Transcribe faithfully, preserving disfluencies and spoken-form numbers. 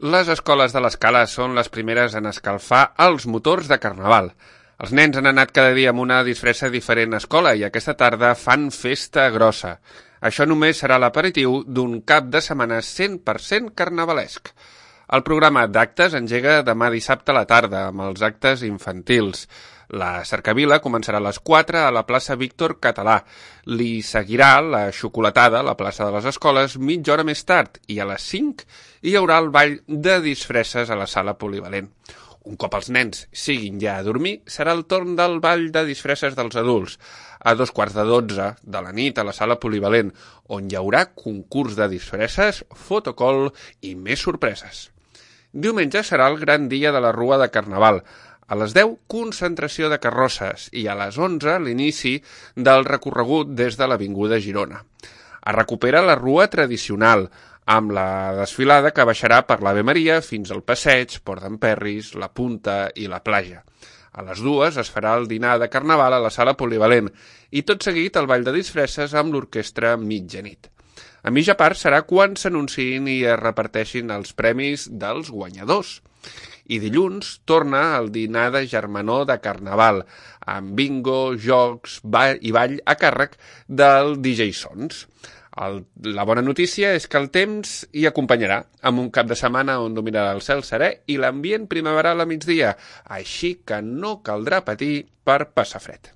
Les escoles de l'Escala són les primeres en escalfar els motors de Carnaval. Els nens han anat cada dia amb una disfressa diferent a escola i aquesta tarda fan festa grossa. Això només serà l'aperitiu d'un cap de setmana cent per cent carnavalesc. El programa d'actes engega demà dissabte a la tarda amb els actes infantils. La cercavila començarà a les quatre a la plaça Víctor Català. Li seguirà la xocolatada a la plaça de les Escoles mitja hora més tard i a les cinc hi haurà el ball de disfresses a la sala polivalent. Un cop els nens siguin ja a dormir, serà el torn del ball de disfresses dels adults, a dos quarts de dotze de la nit a la sala polivalent, on hi haurà concurs de disfresses, fotocol i més sorpreses. Diumenge serà el gran dia de la Rua de Carnaval. A les deu, concentració de carrosses i a les onze, l'inici del recorregut des de l'Avinguda Girona. Es recupera la Rua tradicional, amb la desfilada que baixarà per l'Ave Maria fins al Passeig, Port d'en Perris, la Punta i la Platja. A les dues es farà el dinar de Carnaval a la sala polivalent i tot seguit el ball de disfresses amb l'orquestra mitjanit. A mitja part serà quan s'anunciïn i es reparteixin els premis dels guanyadors. I dilluns torna el dinar de germanor de Carnaval, amb bingo, jocs ball i ball a càrrec del D J Sons. El, la bona notícia és que el temps hi acompanyarà, amb un cap de setmana on dominarà el cel serè i l'ambient primaveral a migdia, així que no caldrà patir per passar fred.